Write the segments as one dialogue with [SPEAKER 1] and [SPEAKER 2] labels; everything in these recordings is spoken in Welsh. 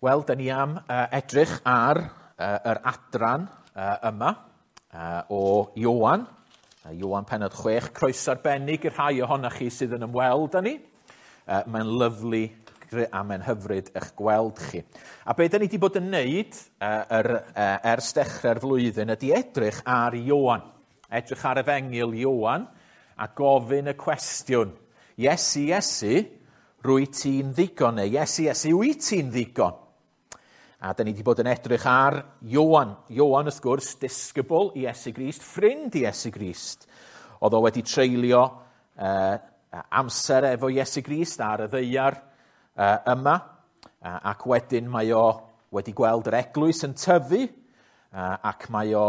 [SPEAKER 1] Wel, da ni am edrych ar yr adran yma o Ioan. Ioan pennod 6, croeso arbennig i'r rhai ohonoch chi sydd yn ymweld â ni. Mae'n lyfli a mae'n hyfryd eich gweld chi. A be da ni wedi bod yn neud ers dechrau'r flwyddyn ydy edrych ar Ioan. Edrych ar efengyl Ioan a gofyn y cwestiwn, Iesu, Iesu, rwy ti'n ddigon? Neu Iesu, Iesu, wyt ti'n ddigon? A da ni wedi bod yn edrych ar Ioan. Ioan, wrth gwrs, disgybl i Iesu Grist, ffrind i Iesu Grist. Oedd o wedi treulio amser efo Iesu Grist ar y ddaear yma, ac wedyn mae o wedi gweld yr eglwys yn tyfu, ac mae o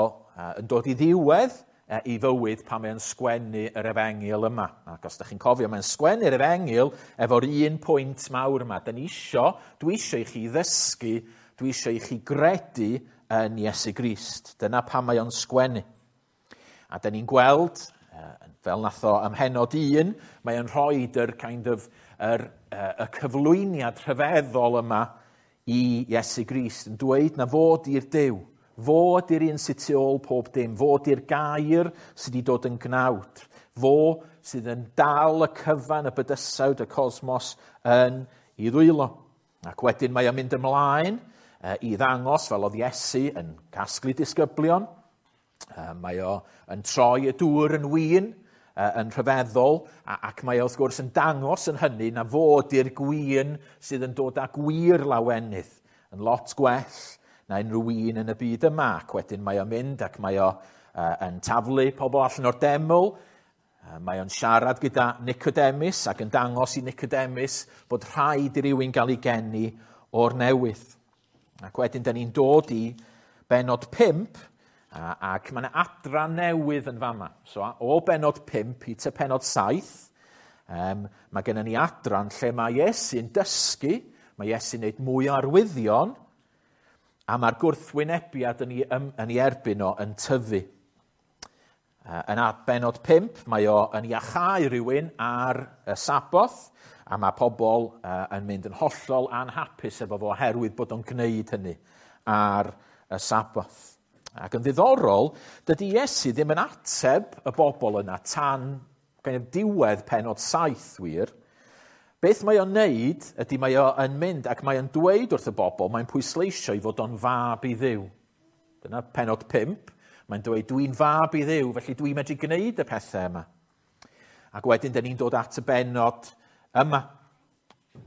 [SPEAKER 1] yn dod i ddiwedd i fywyd pan mae'n sgwennu yr efengyl yma. Ac os ydych chi'n cofio, mae'n sgwennu'r efengyl efo'r un pwynt mawr yma. Da ni isio, dwi isio i chi ddysgu, dwi isio i chi gredu yn Iesu Grist. Dyna pam mae o'n sgwennu. A da ni'n gweld, fel nath o ym mhennod 1, mae o'n rhoi yr kind of, y cyflwyniad rhyfeddol yma i Iesu Grist, yn dweud na fod i'r Duw, fo ydy'r un sydd tu ôl pob dim, fo ydy'r gair sydd wedi dod yn gnawd, fo sydd yn dal y cyfan, y bydysawd, y cosmos yn ei ddwylo. Ac wedyn mae o'n mynd ymlaen i ddangos, fel oedd Iesu yn casglu disgyblion, mae o yn troi y dŵr yn win, yn rhyfeddol, ac mae o wrth gwrs yn dangos yn hynny na fo ydy'r gwin sydd yn dod â gwir lawenydd, yn lot gwell na unrhyw un yn y byd yma. Ac wedyn mae o'n mynd ac mae o yn taflu pobl allan o'r deml. Mae o'n siarad gyda Nicodemus ac yn dangos i Nicodemus bod rhaid i rywun gael ei geni o'r newydd. Ac wedyn da ni'n dod i bennod 5, ac mae yna adran newydd yn fama. So o bennod 5 i te pennod 7, mae gennym ni adran lle mae Iesu'n dysgu, mae Iesu'n gwneud mwy o arwyddion, a mae'r gwrthwynebiad yn ei erbyn o yn tyfu. Yn bennod 5, mae o yn iachau rhywun ar y Saboth, a mae pobl yn mynd yn hollol anhapus efo fo oherwydd bod o'n gwneud hynny ar y Saboth. Ac yn ddiddorol, dydy Iesu ddim yn ateb y bobl yna tan kind of diwedd pennod 7 wir. Beth mae o'n neud ydy mae o yn mynd ac mae o'n dweud wrth y bobl, mae'n pwysleisio i fod o'n fab i Dduw. Dyna pennod 5. Mae'n dweud, dwi'n fab i Dduw, felly dwi'n medru gwneud y pethau yma. Ac wedyn, dyn ni'n dod at y bennod yma.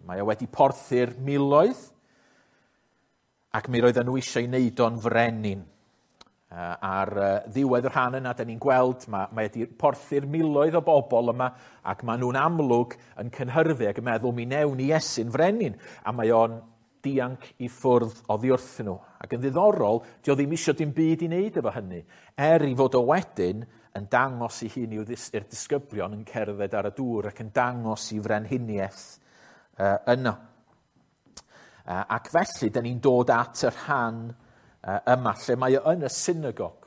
[SPEAKER 1] Mae o wedi porthu'r miloedd, ac mi roedden nhw eisiau ei wneud o'n frenin. Ar ddiwedd y rhan yna, da ni'n gweld, mae wedi porthu'r miloedd o bobl yma, ac maen nhw'n amlwg yn cynhyrfu ac yn meddwl mi newn ni Iesu'n frenin, a mae o'n dianc i ffwrdd oddi wrthyn nhw. Ac yn ddiddorol, dio ddim isio dim byd i wneud efo hynny, er i fod o wedyn yn dangos ei hun i'r disgyblion yn cerdded ar y dŵr ac yn dangos i frenhiniaeth yno. Ac felly, da ni'n dod at y rhan yma, lle mae o yn y synagog.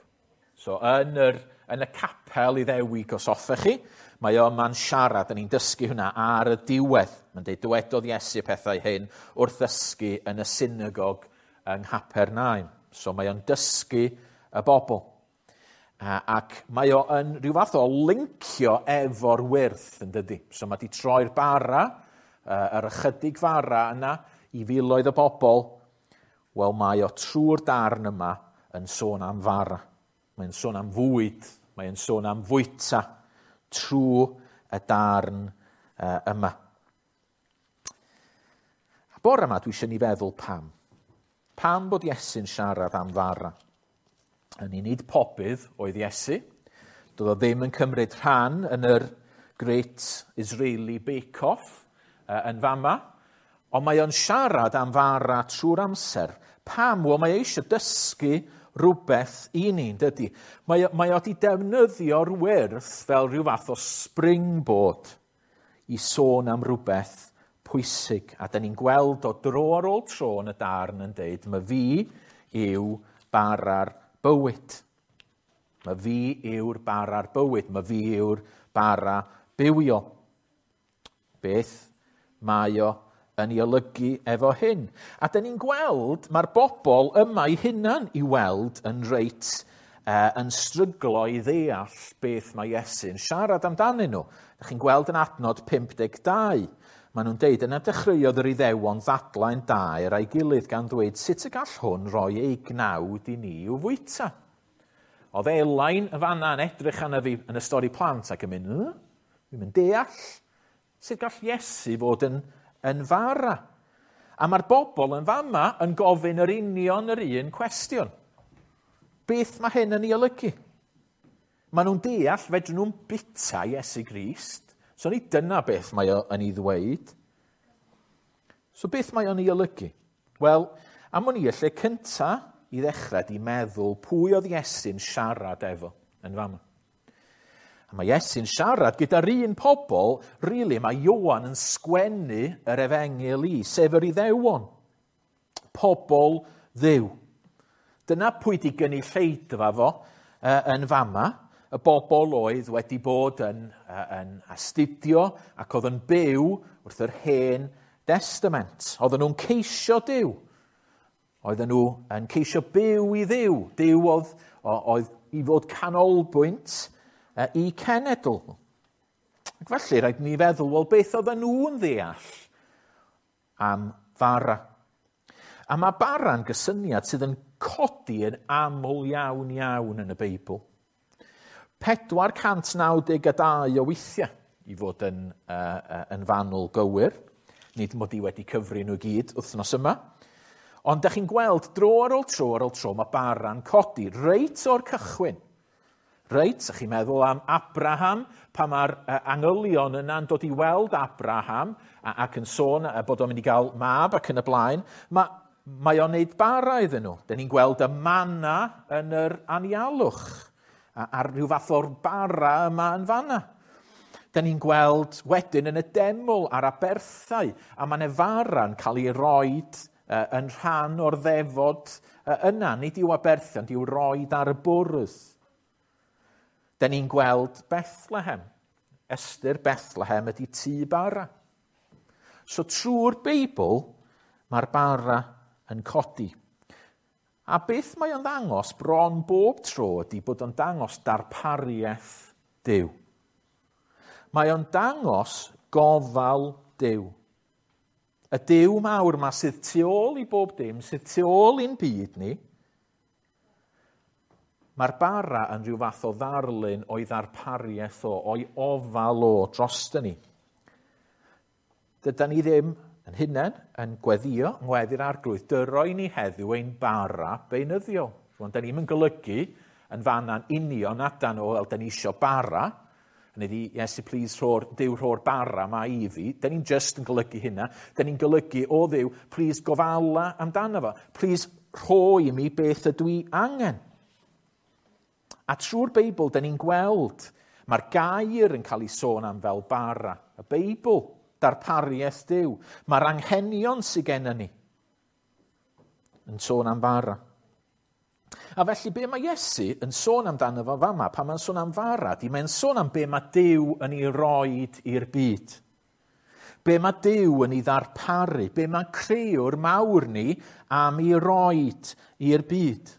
[SPEAKER 1] So, yn y capel Iddewig, os hoffech chi, mae o yma'n siarad, da ni'n dysgu hwnna ar y diwedd. Mae'n dweud, dywedodd Iesu y pethau hyn wrth ddysgu yn y synagog yng Nghapernaum. So, mae o'n dysgu y bobl. Ac mae o yn rhyw fath o lincio efo'r wyrth, yn dydy. So, mae di troi'r bara, yr ychydig fara yna, i filoedd o bobl. Wel, mae o trwy'r darn yma yn sôn am fara. Mae'n sôn am fwyd, mae'n sôn am fwyta trwy y darn yma. A bore yma dwi eisiau ni feddwl pam. Pam bod Iesu'n siarad am fara? Yn ei nid pobydd oedd Iesu. Doedd o ddim yn cymryd rhan yn yr Great Israeli Bake Off yn fama. Ond mae o'n siarad am fara trwy'r amser. Pam? Wel, mae o eisiau dysgu rhywbeth i ni, dydy? Mae o wedi defnyddio'r wyrth fel rhyw fath o springboard i sôn am rhywbeth pwysig. A da ni'n gweld o dro ar ôl tro yn y darn yn deud, mae fi yw bara'r bywyd. Mae fi yw'r bara'r bywyd. Mae fi yw'r bara bywiol. Beth mae o yn ei olygu efo hyn? A dyn ni'n gweld, mae'r bobl yma eu hunan i weld yn reit yn stryglo i ddeall beth mae Iesu'n siarad amdanyn nhw. Dych chi'n gweld yn adnod 52. Maen nhw'n deud, yna dechreuodd yr Iddewon ddadlau'n daer a'i gilydd gan ddweud sut y gall hwn roi ei gnawd i ni i'w fwyta. Oedd Elain y fanna yn edrych arna fi yn y stori plant ac yn mynd, dwi'n mynd deall sut gall Iesu fod yn fara. A mae'r bobl yn fama yn gofyn yr union yr un cwestiwn. Beth mae hyn yn ei olygu? Maen nhw'n deall, fedrwn nhw'n bita Iesu Grist. So ni dyna beth mae o yn ei ddweud. So beth mae o'n ei olygu? Wel, am o'n i y lle cynta i ddechrau di meddwl pwy oedd Iesu'n siarad efo yn fama. A mae Iesu'n siarad gyda'r un pobl, rili, mae Ioan yn sgwennu yr efengyl i, sef yr Iddewon. Pobl Dduw. Dyna pwy di gynulleidfa fo yn fama, y bobl oedd wedi bod yn astudio ac oedd yn byw wrth yr Hen Testament. Oedden nhw'n ceisio Duw. Oedden nhw yn ceisio byw i Dduw. Duw oedd i fod canolbwynt i cenedl. Ac felly rhaid ni feddwl, wel, beth oedden nhw'n ddeall am fara? A mae bara'n gysyniad sydd yn codi yn aml iawn iawn yn y Beibl. 492 o weithiau i fod yn fanwl gywir. Nid mod i wedi cyfri nhw gyd wythnos yma. Ond dach chi'n gweld dro ar ôl tro ar ôl tro mae bara'n codi reit o'r cychwyn. Reit, ych chi'n meddwl am Abraham, pa mae'r angylion yna'n dod i weld Abraham ac yn sôn bod o'n mynd i gael mab ac yn y blaen. Mae o'n neud bara iddyn nhw. Dyn ni'n gweld y manna yn yr anialwch a'r rhyw fath o'r bara yma yn fanna. Dyn ni'n gweld wedyn yn y deml a'r aberthau, a mae 'na fara'n cael ei roed yn rhan o'r ddefod yna. Nid i'w aberthu, ond i'w roed ar y bwrdd. Dyn ni'n gweld Bethlehem. Ystyr Bethlehem ydy tŷ bara. So trwy'r Beibl, mae'r bara yn codi. A beth mae o'n ddangos bron bob tro ydy bod o'n dangos darpariaeth Duw. Mae o'n dangos gofal Duw. Y Duw mawr yma sydd tu ôl i bob dim, sydd tu ôl i'n byd ni, mae'r bara yn rhyw fath o ddarlun o'i ddarpariaeth o, o'i ofal o drosto ni. Dydan ni ddim yn hunain yn gweddio, yng ngweddi'r Arglwydd, dyroi ni heddiw ein bara beunyddiol. Rwan, da ni'n yn golygu yn fanna'n union adan o, wel, da ni isio bara, Hynny ydi, Iesu, please, Duw rho'r bara ma i fi. Da ni'n just yn golygu hynna. Da ni'n golygu, o Dduw, please gofala amdano fo. Please rho i mi beth ydw i angen. A trwy'r Beibl, da ni'n gweld, mae'r gair yn cael ei sôn am fel bara. Y Beibl, darpariaeth Duw. Mae'r anghenion sydd gennym ni yn sôn am bara. A felly, be mae Iesu yn sôn amdano fo fama, pan mae'n sôn am fara, di mae'n sôn am be mae Duw yn ei roed i'r byd. Be mae Duw yn ei ddarparu, be mae crëwr mawr ni am ei roed i'r byd.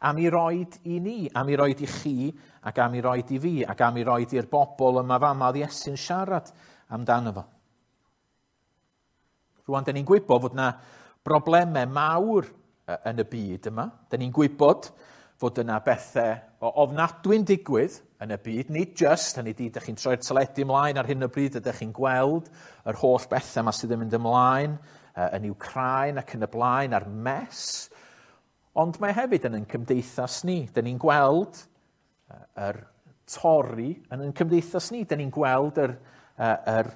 [SPEAKER 1] Am ei roed i ni, am ei roed i chi, ac am ei roed i fi, ac am ei roed i'r bobl yma fama oedd Iesu'n siarad amdano fo. Rwan, da ni'n gwybod fod yna broblemau mawr yn y byd yma. Da ni'n gwybod fod yna bethau o ofnadwy'n digwydd yn y byd. Nid just, hynny ydi, ydych chi'n troi'r teledu ymlaen ar hyn o bryd, ydych chi'n gweld yr holl bethau yma sydd yn mynd ymlaen yn Wcráin ac yn y blaen, a'r mess. Ond mae hefyd yn ein cymdeithas ni. Da ni'n gweld yr torri yn ein cymdeithas ni. Da ni'n gweld yr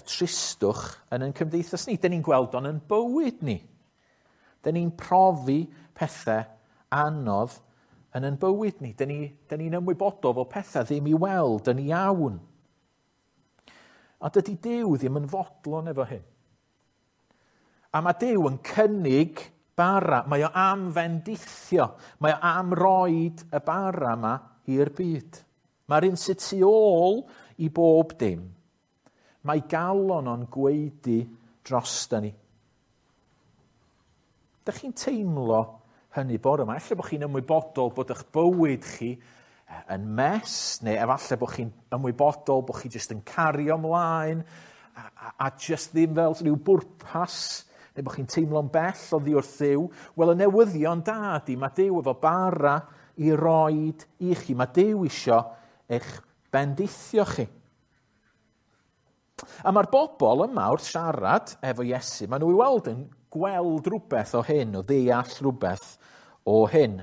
[SPEAKER 1] tristwch yn ein cymdeithas ni. Da ni'n gweld o'n yn bywyd ni. Da ni'n profi pethau anodd yn ein bywyd ni. Da ni'n ymwybodol fod pethau ddim i weld yn iawn. A dydy Duw ddim yn fodlon efo hyn. A mae Duw yn cynnig bara. Mae o am fendithio. Mae o am roed y bara yma i'r byd. Mae'r un sydd tu ôl i bob dim. Mae galon o'n gwaedu drosta ni. Dych chi'n teimlo hynny bore yma? Ella bod chi'n ymwybodol bod eich bywyd chi yn mess, neu efallai bod chi'n ymwybodol bod chi jyst yn cario ymlaen, a jyst ddim fel rhyw bwrpas, neu bod chi'n teimlo'n bell oddi wrth Dduw. Wel, y newyddion da ydy, mae Duw efo bara i roed i chi. Mae Duw isio eich bendithio chi. A mae'r bobl yma wrth siarad efo Iesu, maen nhw i weld yn gweld rhywbeth o hyn, o ddeall rhywbeth o hyn.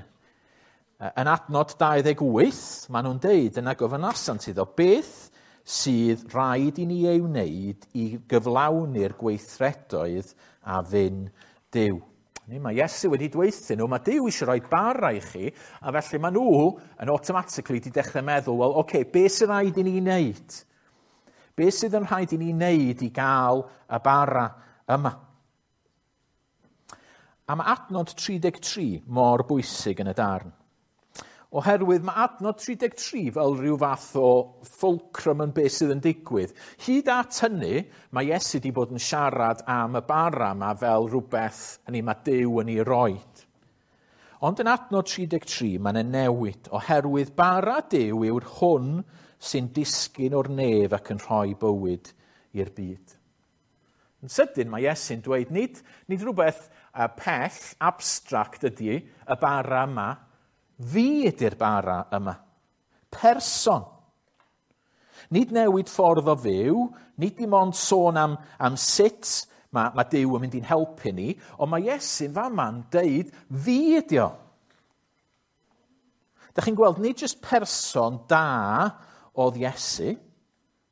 [SPEAKER 1] Yn adnod 28, maen nhw'n deud yna gofynasant iddo, beth sydd rhaid i ni ei wneud i gyflawni'r gweithredoedd a fyn Duw. Mae Iesu wedi dweud nhw, mae Duw eisiau rhoi bara i chi, a felly maen nhw yn automatically wedi dechrau meddwl, wel, oce, okay, beth sydd rhaid i ni wneud? Beth sydd yn rhaid i ni wneud i gael y bara yma? A mae adnod 33 mor bwysig yn y darn. Oherwydd mae adnod 33 fel rhyw fath o fulcrum yn beth sydd yn digwydd. Hyd at hynny, mae Iesu wedi bod yn siarad am y bara yma fel rhywbeth, hynny mae Duw yn ei roed. Ond yn adnod 33, mae'n newid, oherwydd bara Duw yw'r hwn sy'n disgyn o'r nef ac yn rhoi bywyd i'r byd. Yn sydyn mae Iesu'n dweud, nid rhywbeth pell, abstract ydy y bara yma, fi ydy'r bara yma. Person. Nid newid ffordd o fyw, nid dim ond sôn am sut mae Duw yn mynd i'n helpu ni, ond mae Iesu'n fama'n deud, fi ydy o. Dach chi'n gweld, nid jyst person da oedd Iesu.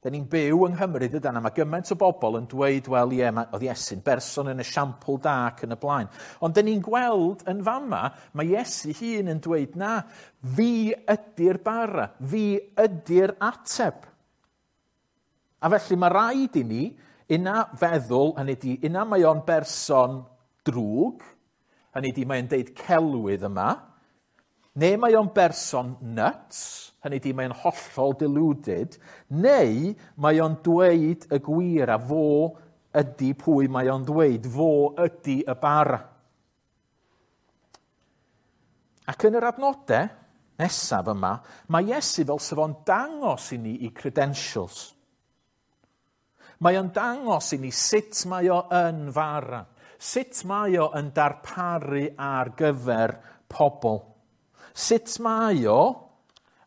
[SPEAKER 1] Da ni'n byw yng Nghymru dydan, a mae gymaint o bobl yn dweud, wel ie, oedd Iesu'n berson yn esiampl da ac yn y blaen. Ond da ni'n gweld yn fama, mae Iesu hun yn dweud, na, fi ydy'r bara, fi ydy'r ateb. A felly mae rhaid i ni, una feddwl, hynny ydi, una mae o'n berson drwg, hynny ydi mae'n deud celwydd yma, neu mae o'n berson nuts, hynny ydi mae'n hollol deluded, neu mae o'n dweud y gwir a fo ydy pwy mae o'n dweud, fo ydy y bara. Ac yn yr adnodau nesaf yma, mae Iesu fel sef o'n dangos i ni i credentials. Mae o'n dangos i ni sut mae o yn fara, sut mae o yn darparu ar gyfer pobl. Sut mae o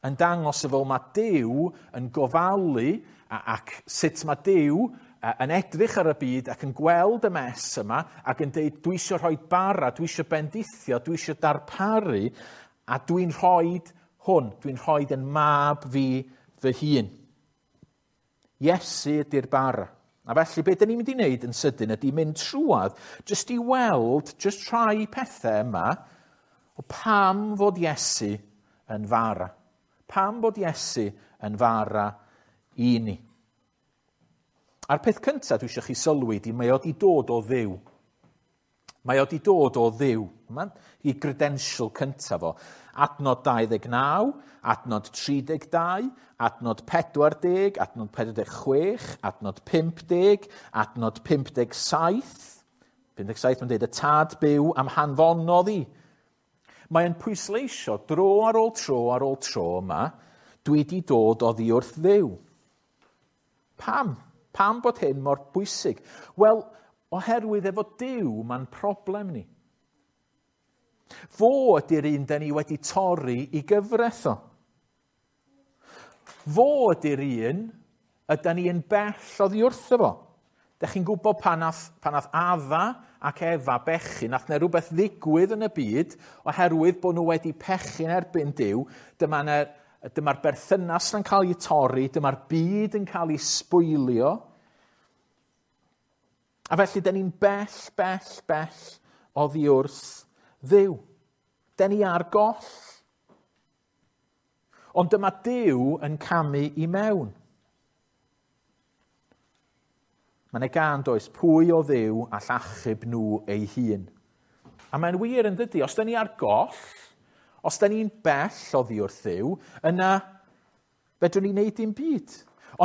[SPEAKER 1] yn dangos efo mae Duw yn gofalu ac sut mae Duw yn edrych ar y byd ac yn gweld y mess yma ac yn deud dwi eisiau rhoi bara, dwi eisiau bendithio, dwi eisiau darparu a dwi'n rhoi hwn, dwi'n rhoi yn mab fi fy hun. Iesu ydy'r bara. A felly beth dyn ni'n mynd i wneud yn sydyn ydy mynd trwadd jyst i weld jyst rhai pethau yma o pam fod Iesu yn fara. Pam bod Iesu yn fara i ni. A'r peth cyntaf dwi eisiau chi sylwi di, mae o di dod o Dduw. Mae o di dod o Dduw. Mae'n i credential cyntaf o. Adnod 29, adnod 32, adnod 40, adnod 46, adnod 50, adnod 57. 57 mae'n dweud y tad byw am hanfonodd i. Mae'n pwysleisio dro ar ôl tro ar ôl tro yma, dwi di dod oddi wrth Dduw. Pam? Pam bod hyn mor bwysig? Wel, oherwydd efo Duw mae'n problem ni. Fo ydy'r un da ni wedi torri i gyfraith o. Fo ydy'r un ydy ni yn bell oddi wrtho fo. Dach chi'n gwybod pan nath Adda ac Efa bechu, nath 'na rhywbeth ddigwydd yn y byd oherwydd bod nhw wedi pechu'n erbyn Duw, dyma'r berthynas yn cael ei torri, dyma'r byd yn cael ei sbwylio. A felly, da ni'n bell, bell, bell oddi wrth Dduw. Da ni ar goll. Ond dyma Duw yn camu i mewn. Mae yna gân does, pwy o Dduw all achub nhw ei hun. A mae'n wir yn dydy, os da ni ar goll, os da ni'n bell oddi wrth Dduw, yna fedrwn ni wneud dim byd.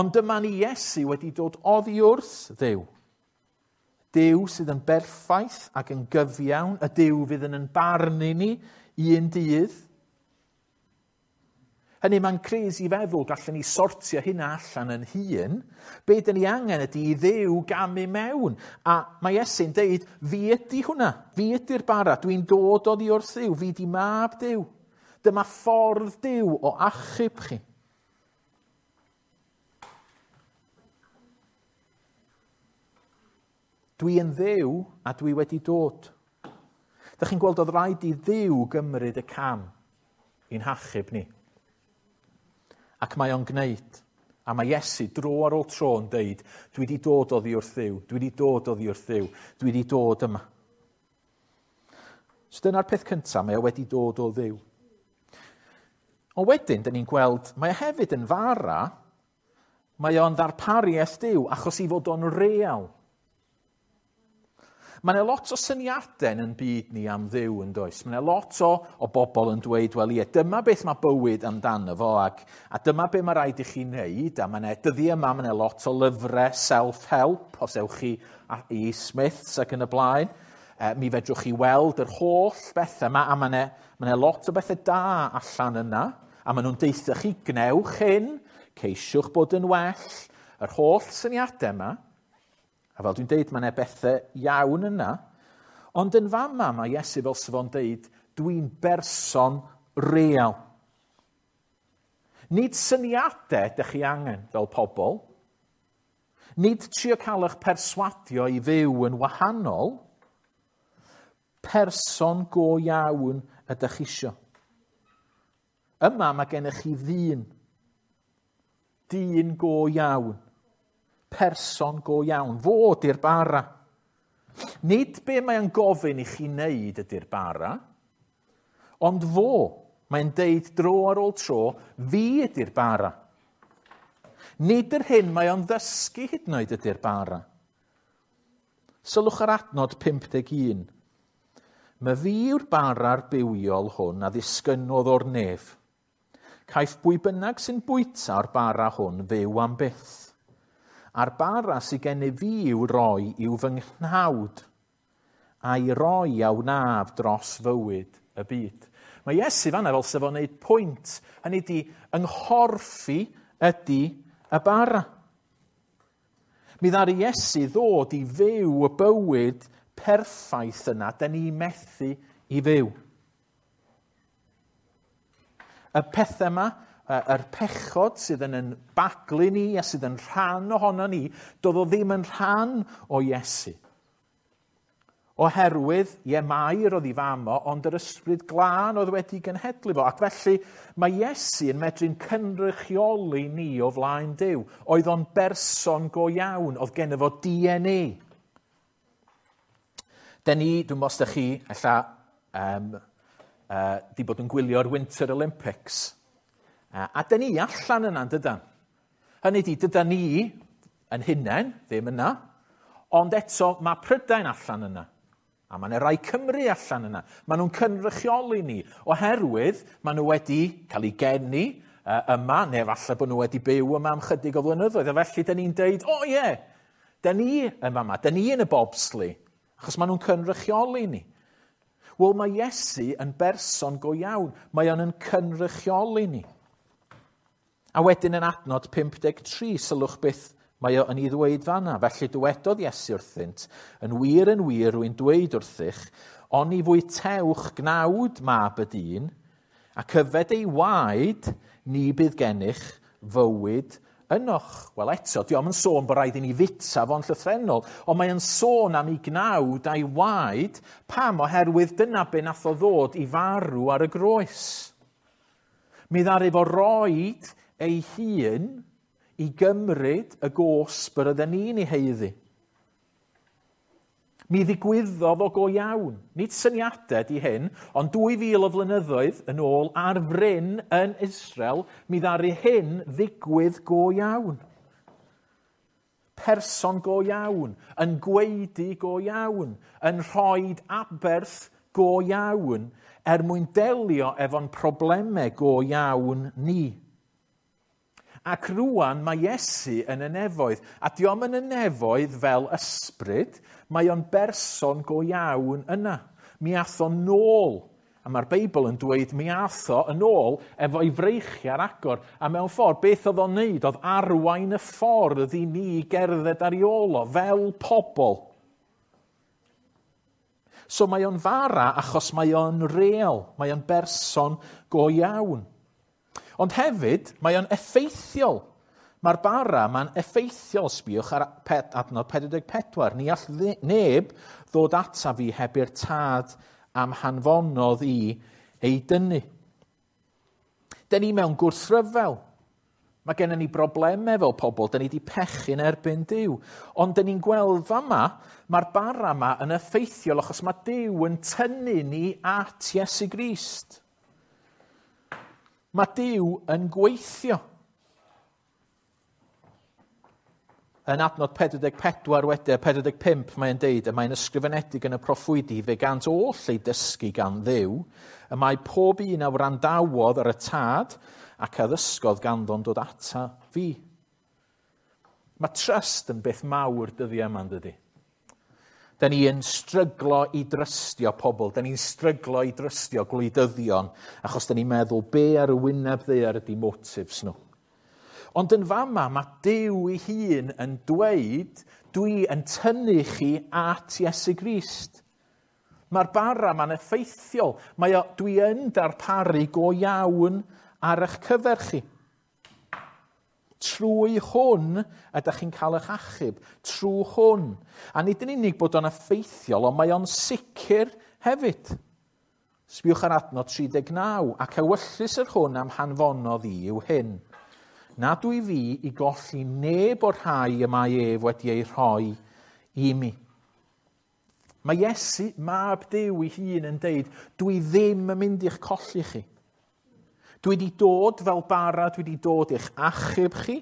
[SPEAKER 1] Ond dyma ni Iesu wedi dod oddi wrth Dduw. Duw sydd yn berffaith ac yn gyfiawn, y Duw fydd yn barnu ni un dydd. Hynny, mae'n crazy feddwl gallwn ni sortio hynna allan yn hun. Be dyn ni angen ydy i Dduw gamu mewn. A mae Iesu'n deud, fi ydy hwnna, fi ydy'r bara, dwi'n dod oddi wrth Dduw, fi di mab Duw. Dyma ffordd Duw o achub chi. Dwi yn Dduw a dwi wedi dod. Dych chi'n gweld oedd rhaid i Dduw gymryd y cam i'n hachub ni. Ac mae o'n gwneud. A mae Iesu dro ar ôl tro yn deud, dwi wedi dod oddi wrth Dduw, dwi wedi dod oddi wrth Dduw, dwi wedi dod yma. So dyna'r peth cyntaf, mae o wedi dod o Dduw. Ond wedyn, dyn ni'n gweld, mae o hefyd yn fara, mae o'n ddarpariaeth Duw, achos i fod o'n real. Mae yna lot o syniadau yn byd ni am Dduw yn does. Mae yna lot o bobl yn dweud, wel ie, dyma beth mae bywyd amdano fo, a dyma beth mae rhaid i chi wneud, a mae yna, dyddi yma, mae yna lot o lyfrau self-help, os ewch chi i Smiths ac yn y blaen. Mi fedrwch chi weld yr holl bethau yma, a mae yna lot o bethau da allan yna, a maen nhw'n deutha chi, gnewch hyn, ceisiwch bod yn well, yr holl syniadau yma. A fel dwi'n deud, mae yna bethau iawn yna. Ond yn fama mae Iesu fel sef o'n deud, dwi'n berson real. Nid syniadau ydych chi angen fel pobl. Nid trio cael eich perswadio i fyw yn wahanol. Person go iawn ydych chi isio. Yma mae gennych chi ddyn. Dyn go iawn. Person go iawn. Fo di'r bara. Nid be mae'n gofyn i chi wneud ydy'r bara, ond fo. Mae'n deud dro ar ôl tro, fi ydy'r bara. Nid yr hyn mae o'n ddysgu hyd yn oed ydy'r bara. Sylwch ar adnod 51. Mae fi yw'r bara'r bywiol hwn a ddisgynnodd o'r nef. Caiff bwy bynnag sy'n bwyta o'r bara hwn fyw am byth. A'r bara sydd gennyf fi i'w roi yw fy nghnawd, a'i roi a wnaf dros fywyd y byd. Mae Iesu fanna fel sef o'n neud pwynt, hynny ydi ynghorffi ydy y bara. Mi ddaru Iesu ddod i fyw y bywyd perffaith yna, da ni methu i fyw. Y pethau yma, yr pechod sydd yn yn baglu ni a sydd yn rhan ohono ni, doedd o ddim yn rhan o Iesu. Oherwydd, ie, Mair oedd ei fam o, ond yr ysbryd glân oedd wedi genhedlu fo. Ac felly mae Iesu yn medru'n cynrychioli ni o flaen Duw. Oedd o'n berson go iawn, oedd genno fo DNA. Den ni, dwi'n meddwl os ydych chi, ella, di bod yn gwylio'r Winter Olympics. A dyn ni allan yna, dydan? Hynny ydi, dydan ni yn hunain, ddim yna, ond eto mae Prydain allan yna. A mae yna rai Cymru allan yna. Maen nhw'n cynrychioli ni, oherwydd maen nhw wedi cael eu geni yma, neu falle bod nhw wedi byw yma am chydig o flynyddoedd. A felly dyn ni'n deud, o ie, dyn ni yn fama, dyn ni yn y bobsleigh, achos maen nhw'n cynrychioli ni. Wel, mae Iesu yn berson go iawn. Mae o'n yn cynrychioli ni. A wedyn yn adnod 53, sylwch beth mae o yn ei ddweud fanna. Felly dywedodd Iesu wrthynt, yn wir, rwy'n dweud wrthych, oni fwytewch gnawd mab y dyn, ac yfed ei waed, ni bydd gennych fywyd ynoch. Wel eto, dio'm yn sôn bod rhaid i ni fita fo'n llythrennol, ond mae yn sôn am ei gnawd a'i waed. Pam? Oherwydd dyna be nath o ddod i farw ar y groes. Mi ddaru fo roid ei hun i gymryd y gosb yr oedden ni'n ei haeddu. Mi ddigwyddodd o go iawn. Nid syniadau di hyn, ond 2000 o flynyddoedd yn ôl ar fryn yn Israel, mi ddaru hyn ddigwydd go iawn. Person go iawn, yn gwaedu go iawn, yn rhoi aberth go iawn, er mwyn delio efo'n problemau go iawn ni. Ac rwan mae Iesu yn y nefoedd. A dio'm yn y nefoedd fel ysbryd, mae o'n berson go iawn yna. Mi ath o nôl. A mae'r Beibl yn dweud mi ath o yn ôl efo'i freichiau ar agor. A mewn ffordd, beth oedd o'n neud oedd arwain y ffordd i ni gerdded ar ei ôl o fel pobl. So mae o'n fara achos mae o'n real, mae o'n berson go iawn. Ond hefyd, mae o'n effeithiol. Mae'r bara ma'n effeithiol, sbiwch ar adnod 44. Ni all neb ddod ata fi heb i'r tad am hanfonodd i ei dynnu. Dyn ni mewn gwrthryfel. Mae gennym ni broblemau fel pobl, dyn ni wedi pechu'n erbyn Duw. Ond dyn ni'n gweld fama, mae'r bara yma yn effeithiol achos mae Duw yn tynnu ni at Iesu Grist. Mae Duw yn gweithio. Yn adnod 44 wedyn, 45, mae'n deud, y mae'n ysgrifenedig yn y proffwydi, fe gant oll ei dysgu gan Dduw, y mae pob un a wrandawodd ar y tad ac a ddysgodd ganddo'n dod ata fi. Mae trust yn beth mawr dyddiau yma, dydy. Da ni yn stryglo i drystio pobl, da ni'n stryglo i drystio gwleidyddion, achos da ni'n meddwl be ar y wyneb ddaear ydy motives nhw. Ond yn fama, mae Duw ei hun yn dweud, dwi yn tynnu chi at Iesu Grist. Mae'r bara ma'n effeithiol. Mae o, dwi yn darparu go iawn ar eich cyfer chi. Trwy hwn ydych chi'n cael eich achub. Trwy hwn. A nid yn unig bod o'n effeithiol, ond mae o'n sicr hefyd. Sbiwch ar adnod 39, ac ewyllys yr hwn am hanfonodd i yw hyn. Nad dwi fi i golli neb o'r rhai y mae ef wedi ei rhoi i mi. Mae Iesu, mab Duw ei hun, yn deud, dwi ddim yn mynd i'ch colli chi. Dwi wedi dod fel bara, dwi wedi dod i'ch achub chi.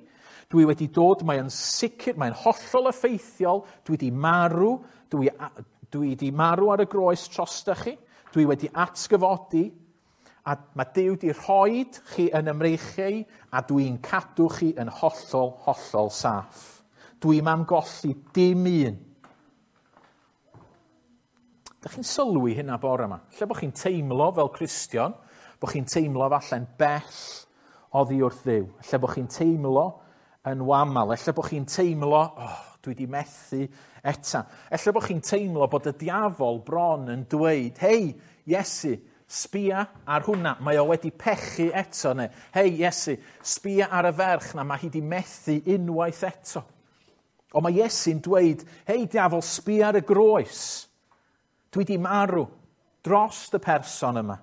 [SPEAKER 1] Dwi wedi dod, mae'n sicr, mae'n hollol effeithiol. Dwi wedi marw, dwi wedi marw ar y groes drosta chi. Dwi wedi atgyfodi, a mae Duw wedi rhoi chi yn ymreichiau, a dwi'n cadw chi yn hollol, hollol saff. Dwi'm am golli dim un. Dych chi'n sylwi hynna bore yma? Lle bod chi'n teimlo fel Cristion, bod chi'n teimlo falle'n bell oddi wrth Dduw. Lle bod chi'n teimlo yn wamal. Lle bod chi'n teimlo, oh, dwi wedi methu eta. Lle bod chi'n teimlo bod y diafol bron yn dweud, hei, Iesu, sbia ar hwnna, mae o wedi pechu eto. Neu, hei, Iesu, sbia ar y ferch na, mae hi wedi methu unwaith eto. Ond mae Iesu'n dweud, hei, diafol, sbia ar y groes. Dwi wedi marw dros y person yma.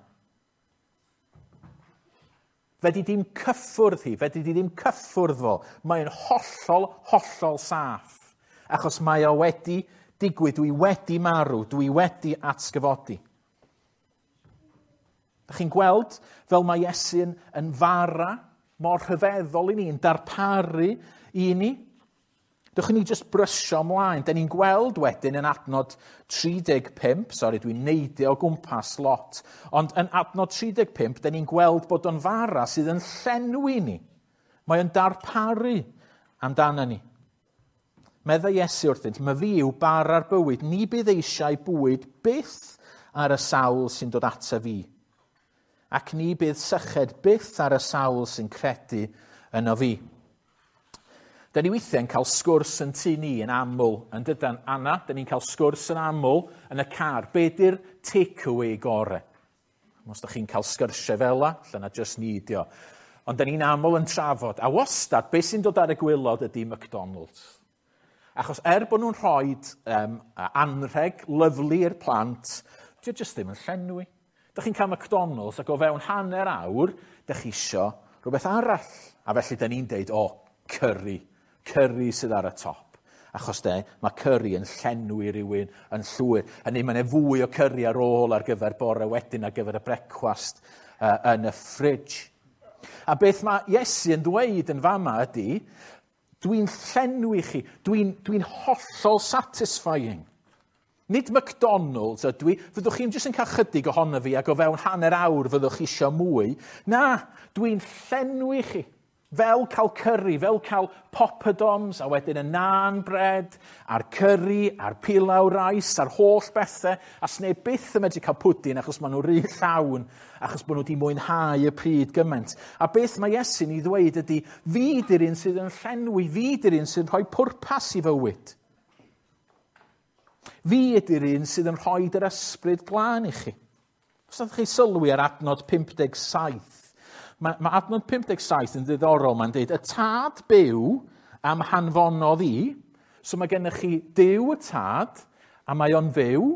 [SPEAKER 1] Fedri dim cyffwrdd hi, fedri di ddim cyffwrdd fo. Mae'n hollol, hollol saff. Achos mae o wedi digwydd, dwi wedi marw, dwi wedi atgyfodi. Dach chi'n gweld fel mae Iesu'n yn fara mor rhyfeddol i ni, yn darparu i ni. Dewch i ni jyst brysio ymlaen. Da ni'n gweld wedyn yn adnod 35, sori dwi'n neidio o gwmpas lot, ond yn adnod 35, da ni'n gweld bod o'n fara sydd yn llenwi ni. Mae o'n darparu amdano ni. Meddai Iesu wrthynt, mae fi yw bara'r bywyd, ni bydd eisiau bwyd byth ar y sawl sy'n dod ata fi. Ac ni bydd syched byth ar y sawl sy'n credu yno fi. Da ni weithiau'n cael sgwrs yn tŷ ni yn aml, yn dydan, Anna, da ni'n cael sgwrs yn aml yn y car. Be di'r takeaway gore? Os da chi'n cael sgyrsiau fel la, lle na just ni dio. Ond da ni'n aml yn trafod. A wastad, be sy'n dod ar y gwylod ydy McDonald's. Achos bod nhw'n rhoi anrheg lyfli i'r plant, dio just ddim yn llenwi. Da chi'n cael McDonald's ac o fewn hanner awr, da chi isio rhywbeth arall. A felly da ni'n deud, o, curry. Curry sydd ar y top. Achos de, mae curry yn llenwi rhywun yn llwyr. Hynny, mae yna fwy o curry ar ôl ar gyfer bore wedyn, ar gyfer y brecwast yn y fridge. A beth mae Iesu yn dweud yn fama ydy, dwi'n llenwi chi, dwi'n hollol satisfying. Nid McDonald's ydw i, fyddwch chi'n jyst yn cael chydig ohono fi ac o fewn hanner awr fyddwch chi isio mwy. Na, dwi'n llenwi chi. Fel cael curry, fel cael poppadoms, a wedyn y naan bread, a'r curry, a'r pilau rice, a'r holl bethau, a sneb byth yn medru cael pwdin achos maen nhw rhy llawn, achos bod nhw wedi mwynhau y pryd gymaint. A beth mae Iesu'n ei ddweud ydy, fi di'r un sydd yn llenwi, fi di'r un sydd yn rhoi pwrpas i fywyd. Fi ydy'r un sydd yn rhoi yr ysbryd glân i chi. Os ydych chi sylwi ar adnod 57, mae adnod 57 yn ddiddorol, mae'n dweud, y tad byw am hanfonodd i, so mae gennych chi Duw y tad, a mae o'n fyw,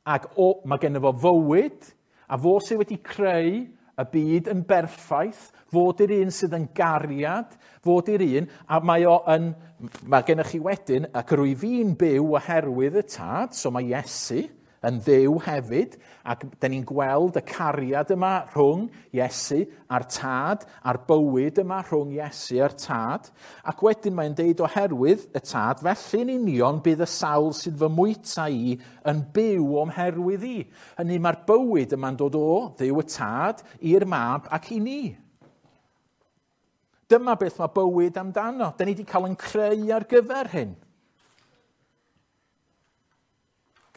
[SPEAKER 1] ac mae gennych fo fywyd, a fo sydd wedi creu y byd yn berffaith, fod i'r un sydd yn gariad, fod i'r un, a mae o yn, mae gennych chi wedyn, ac rwy fi'n byw oherwydd y tad, so mae Iesu yn Dduw hefyd, ac da ni'n gweld y cariad yma rhwng Iesu a'r tad, a'r bywyd yma rhwng Iesu a'r tad, ac wedyn mae'n deud oherwydd y tad, felly'n union bydd y sawl sydd fy mwyta i yn byw o'm herwydd i. Hynny mae'r bywyd yma'n dod o Dduw y tad i'r mab ac i ni. Dyma beth mae bywyd amdano. Da ni wedi cael yn creu ar gyfer hyn.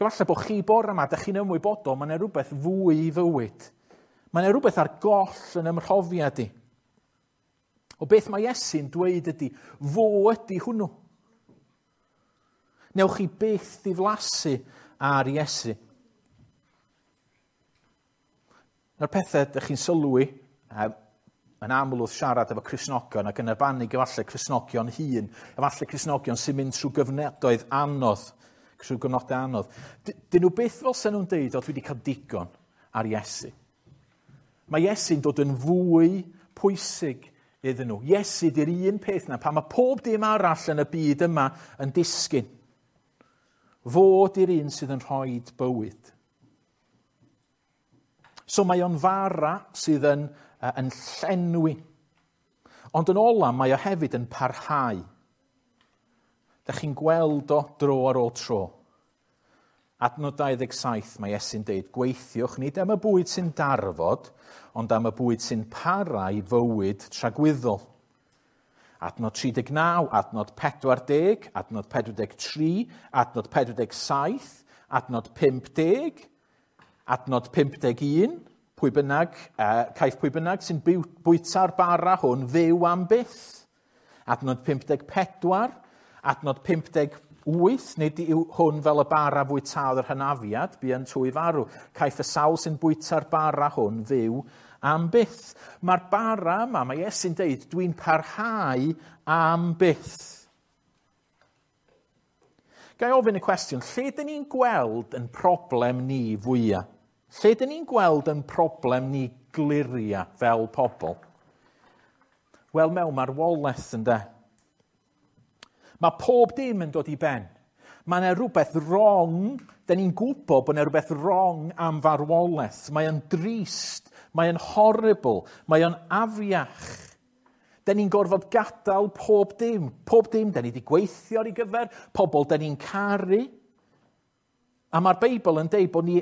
[SPEAKER 1] Efallai bod chi bore yma, da chi'n ymwybodol, mae yna rhywbeth fwy i fywyd. Mae yna rhywbeth ar goll yn ymhrofiad i. O beth mae Iesu'n dweud ydy, fo ydy hwnnw. Newch chi byth ddiflasu ar Iesu. Na'r pethau ydych chi'n sylwi, yn aml wrth siarad efo Cristnogion ac yn arbennig efallai Cristnogion hŷn, efallai Cristnogion sy'n mynd trwy gyfnodoedd anodd, trwy gyfnodau anodd. Dyn nhw byth fel sy'n nhw'n deud, o dwi wedi cael digon ar Iesu. Mae Iesu'n dod yn fwy pwysig iddyn nhw. Iesu di'r un peth na, pan mae pob dim arall yn y byd yma yn disgyn. Fo di'r un sydd yn rhoi bywyd. So mae o'n fara sydd yn llenwi. Ond yn ola, mae o hefyd yn parhau. Da chi'n gweld o dro ar ôl tro. Adnod 27, mae Iesu'n deud, gweithiwch nid am y bwyd sy'n darfod, ond am y bwyd sy'n para i fywyd tragwyddol. Adnod 39, adnod 40, adnod 43, adnod 47, adnod 50, adnod 51, pwy bynnag, caiff pwy bynnag sy'n bwyta'r bara hwn fyw am byth. Adnod 54, adnod 58, nid yw hwn fel y bara fwytaodd yr hynafiad, bu yn twy farw. Caiff y sawl sy'n bwyta'r bara hwn fyw am byth. Mae'r bara yma, mae Iesu'n deud, dwi'n parhau am byth. Ga i ofyn y cwestiwn, lle dyn ni'n gweld yn problem ni fwyaf? Lle dyn ni'n gweld yn problem ni gliria fel pobl? Wel, mewn marwolaeth ynde. Mae pob dim yn dod i ben. Mae yna rhywbeth wrong, dyn ni'n gwybod bod yna rhywbeth wrong am farwolaeth. Mae o'n drist, mae o'n horrible, mae o'n afiach. Dyn ni'n gorfod gadael pob dim. Pob dim, dyn ni wedi gweithio ar ei gyfer, pobl dyn ni'n caru. A mae'r Beibl yn deud bod ni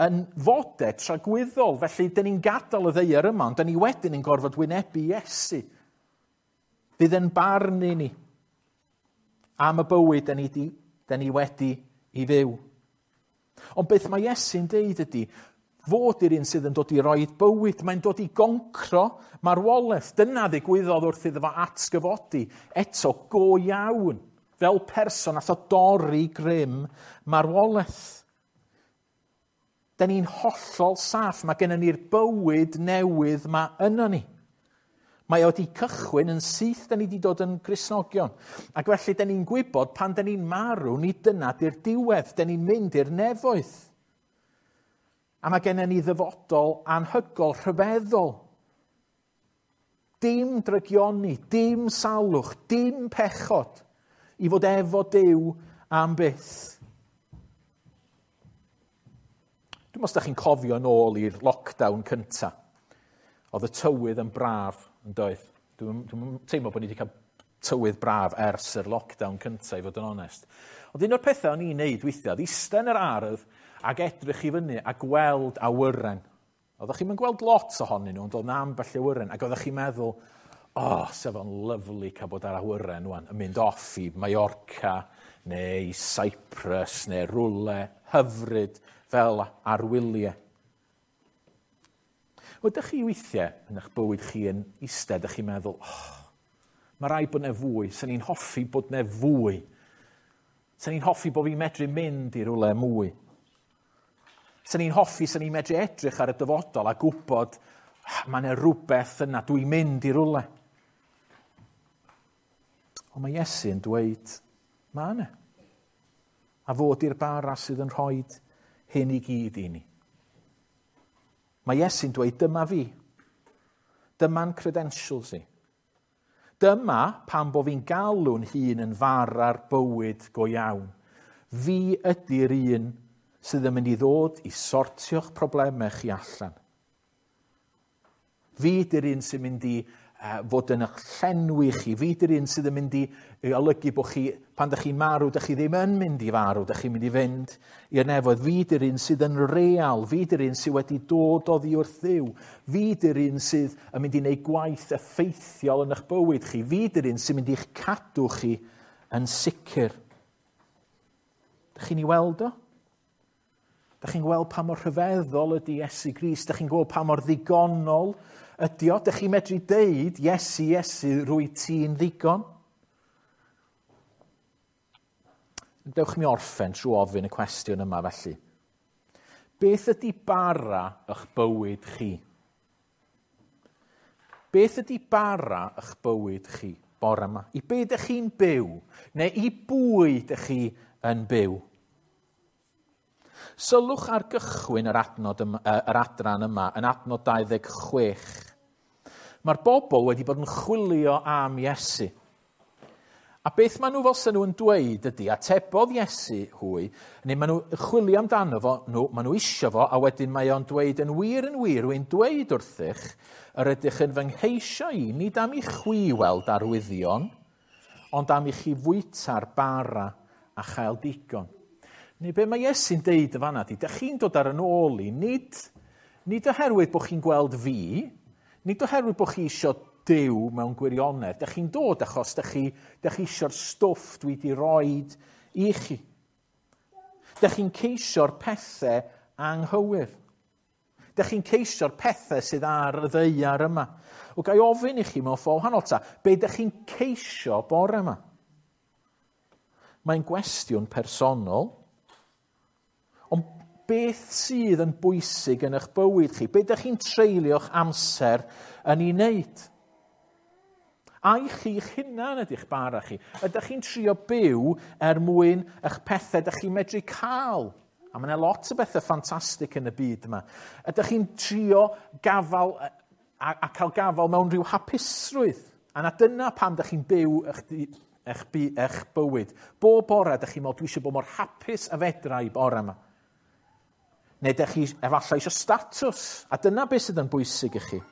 [SPEAKER 1] yn fodau tragwyddol, felly dyn ni'n gadael y ddaear yma, ond dyn ni wedyn yn gorfod wynebu Iesu. Fydd yn barnu ni am y bywyd dyn ni wedi i fyw. Ond beth mae Iesu'n deud ydy, fod i'r un sydd yn dod i roi bywyd, mae'n dod i goncro marwolaeth. Dyna ddigwyddodd wrth iddo fo atgyfodi eto go iawn, fel person nath o dorri grym marwolaeth. Da ni'n hollol saff, mae gennym ni'r bywyd newydd ma yno ni. Mae o wedi cychwyn yn syth, da ni wedi dod yn Gristnogion. Ac felly, da ni'n gwybod pan da ni'n marw, ni dyna di'r diwedd, da ni'n mynd i'r nefoedd. A mae gennym ni ddyfodol anhygol, rhyfeddol. Dim drygioni, dim salwch, dim pechod i fod efo Duw am byth. Dwi'n meddwl os da chi'n cofio yn ôl i'r lockdown cynta. Oedd y tywydd yn braf yn doedd. Dwi'n teimlo bod ni wedi cael tywydd braf ers yr lockdown cynta, i fod yn onest. Ond un o'r pethau o'n i'n neud weithiau, oedd eistedd yn yr ardd ac edrych i fyny a gweld awyren. Oeddech chi'n gweld lot ohonyn nhw, ond oedd 'na ambell awyren, ac oeddech chi'n meddwl, Oh, sef o'n lyfli cael bod ar awyren wan, yn mynd off i Mallorca neu Cyprus neu rwle hyfryd fel arwyliau. Ydych chi weithiau yn eich bywyd chi yn eistedd, ydych chi'n meddwl, oh, mae rhaid bod 'na fwy, sy'n ni'n hoffi bod 'na fwy. Sy'n ni'n hoffi bod fi'n medru mynd i rwle mwy. Sy'n ni'n hoffi, sy'n ni'n medru edrych ar y dyfodol a gwybod, mae yna rhywbeth yna, dwi'n mynd i rwle. Ond mae Iesu yn dweud, mae yna. A fod i'r bara sydd yn rhoi hyn i gyd i ni. Mae Iesu'n dweud, dyma fi. Dyma'n credentials i. Dyma pam bo fi'n galw'n hun yn fara'r bywyd go iawn. Fi ydy'r un sydd yn mynd i ddod i sortio'ch problemau chi allan. Fi ydy'r un sy'n mynd i fod yn eich llenwi chi. Fi ydy'r un sydd yn mynd i olygu bod chi, pan ydych chi'n marw, ydych chi ddim yn mynd i farw, ydych chi'n mynd i fynd i'r nefoedd. Fi ydy'r un sydd yn real. Fi ydy'r un sydd wedi dod oddi wrth Dduw. Fi ydy'r un sydd yn mynd i wneud gwaith effeithiol yn eich bywyd chi. Fi ydy'r un sy'n mynd i'ch cadw chi yn sicr. Dych chi'n ei weld o? Dych chi'n gweld pa mor rhyfeddol ydy Iesu Grist? Dych chi'n gweld pa mor ddigonol ydy o? Dych chi'n medru deud, Iesu, Iesu, rwy ti'n ddigon? Dewch mi orffen trwy ofyn y cwestiwn yma felly. Beth ydy bara eich bywyd chi? Beth ydy bara eich bywyd chi bore yma? I be ydych chi'n byw? Neu i bwy ydych chi yn byw? Sylwch ar gychwyn yr adnod yma, yr adran yma, yn adnod 26. Mae'r bobl wedi bod yn chwilio am Iesu. A beth maen nhw fel sy'n nhw yn dweud ydy, atebodd Iesu hwy, neu maen nhw chwilio amdano fo, nhw, maen nhw isio fo, a wedyn mae o'n dweud yn wir, rwy'n dweud wrthych, yr ydych yn fy ngheisio i, nid am i chwi weld arwyddion, ond am i chi fwyta'r bara a chael digon. Neu be mae Iesu'n deud y fanna di, dych chi'n dod ar yn ôl i, nid oherwydd bod chi'n gweld fi, nid oherwydd bod chi isio Duw mewn gwirionedd, dych chi'n dod achos dych chi isio'r stwff dwi wedi roed i chi. Dych chi'n ceisio'r pethau anghywir. Dych chi'n ceisio'r pethau sydd ar y ddaear yma. O ga i ofyn i chi mewn ffordd wahanol ta, be dych chi'n ceisio bore yma? Mae'n gwestiwn personol. Ond beth sydd yn bwysig yn eich bywyd chi? Be ydych chi'n treulio'ch amser yn ei wneud? Ai chi'ch hunan ydych bara chi? Ydych chi'n trio byw er mwyn eich pethau ydych chi'n medru cael? A mae yna lot o bethau ffantastig yn y byd yma. Ydych chi'n trio gafal a cael gafal mewn rhyw hapusrwydd? A na dyna pam ydych chi'n byw eich bywyd. Bob bore ydych chi'n meddwl, dwi eisiau bod mor hapus a fedra i bore yma. Neu ydych chi efallai eisiau statws, a dyna beth sydd yn bwysig i chi.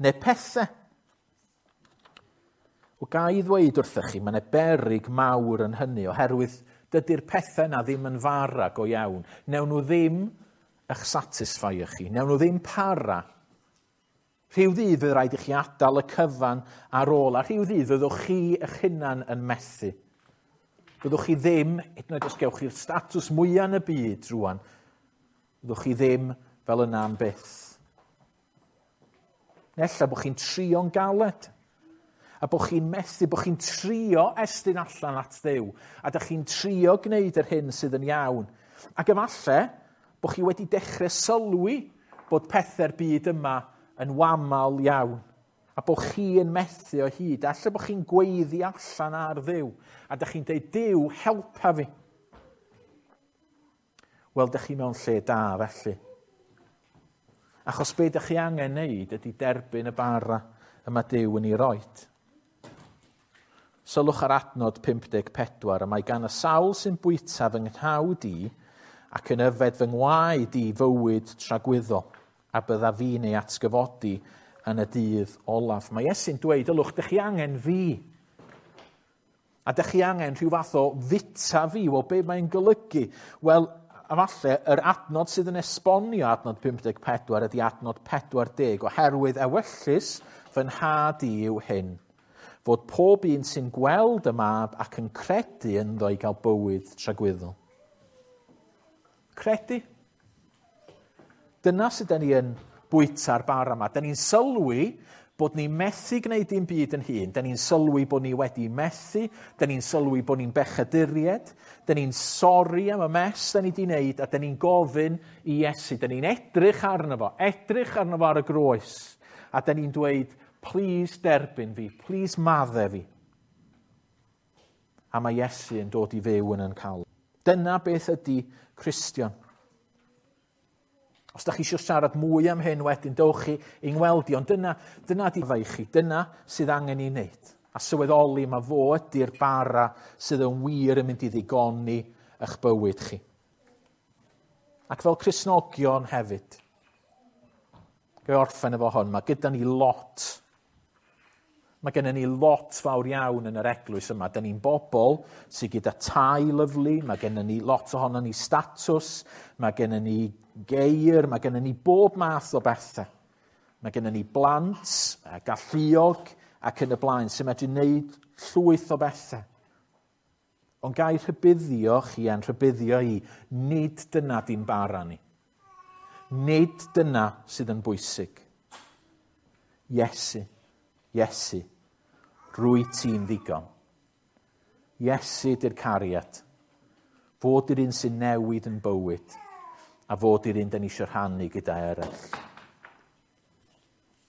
[SPEAKER 1] Neu pethau. O ga i ddweud wrthych chi, mae yna beryg mawr yn hynny, oherwydd dydy'r pethau yna ddim yn fara go iawn. Newn nhw ddim eich satisfy chi, newn nhw ddim para. Rhyw ddydd fydd rhaid i chi adael y cyfan ar ôl, a rhyw ddydd fyddwch chi eich hunan yn methu. Fyddwch chi ddim, hyd yn oed os gewch chi'r statws mwyaf yn y byd rŵan, fyddwch chi ddim fel yna am byth. Nella bod chi'n trio'n galed, a bod chi'n methu, bod chi'n trio estyn allan at Dduw, a dych chi'n trio gwneud yr hyn sydd yn iawn. Ac efallai bod chi wedi dechrau sylwi bod pethau'r byd yma yn wamal iawn, a bod chi yn methu o hyd. Alla bod chi'n gweiddi allan ar Dduw, a dych chi'n dweud, Duw, helpa fi. Wel, dych chi mewn lle da felly. Achos be dych chi angen wneud ydy derbyn y bara y mae Duw yn ei roed. Sylwch ar adnod 54, y mae gan y sawl sy'n bwyta fy nghnawd i ac yn yfed fy ngwaed i fywyd tragwyddol, a bydda fi'n ei atgyfodi yn y dydd olaf. Mae Iesu'n dweud, ylwch, dych chi angen fi. A dych chi angen rhyw fath o fita fi. Wel, be mae'n golygu? Wel, A falle yr adnod sydd yn esbonio adnod 54 ydy adnod 40, oherwydd ewyllys fy nhad i yw hyn, fod pob un sy'n gweld y mab ac yn credu ynddo i gael bywyd tragwyddol. Credu. Dyna sydd ni yn bwyta'r bara yma. Da ni'n sylwi bod ni methu gwneud dim byd yn hun. Da ni'n sylwi bod ni wedi methu. Da ni'n sylwi bod ni'n bechaduried. Da ni'n sori am y mess da ni wedi wneud a da ni'n gofyn i Iesu. Da ni'n edrych arno fo, edrych arno fo ar y groes. A da ni'n dweud, please derbyn fi, please madde fi. A mae Iesu yn dod i fyw yn yn cael. Dyna beth ydy Cristion. Os da chi eisiau siarad mwy am hyn wedyn, dowch chi i ngweld i, ond dyna, dyna di fai chi, dyna sydd angen i wneud. A sylweddoli mae fo ydy'r bara sydd yn wir yn mynd i ddigoni eich bywyd chi. Ac fel Cristnogion hefyd, Gai orffen efo hwn, mae gyda ni lot. Mae gennym ni lot fawr iawn yn yr eglwys yma. Da ni'n bobl sydd gyda tai lyfli, mae gennym ni lot ohono ni statws, mae gennym ni geir, mae gennym ni bob math o bethau. Mae gennym ni blant, galluog ac yn y blaen sy'n medru wneud llwyth o bethau. Ond gai rhybuddio chi a'n rhybuddio i, nid dyna di'n bara ni. Nid dyna sydd yn bwysig. Iesu, Iesu, rwy ti'n ddigon. Iesu di'r cariad. Fod i'r un sy'n newid yn bywyd a fod i'r un da ni eisiau rhannu gyda eraill.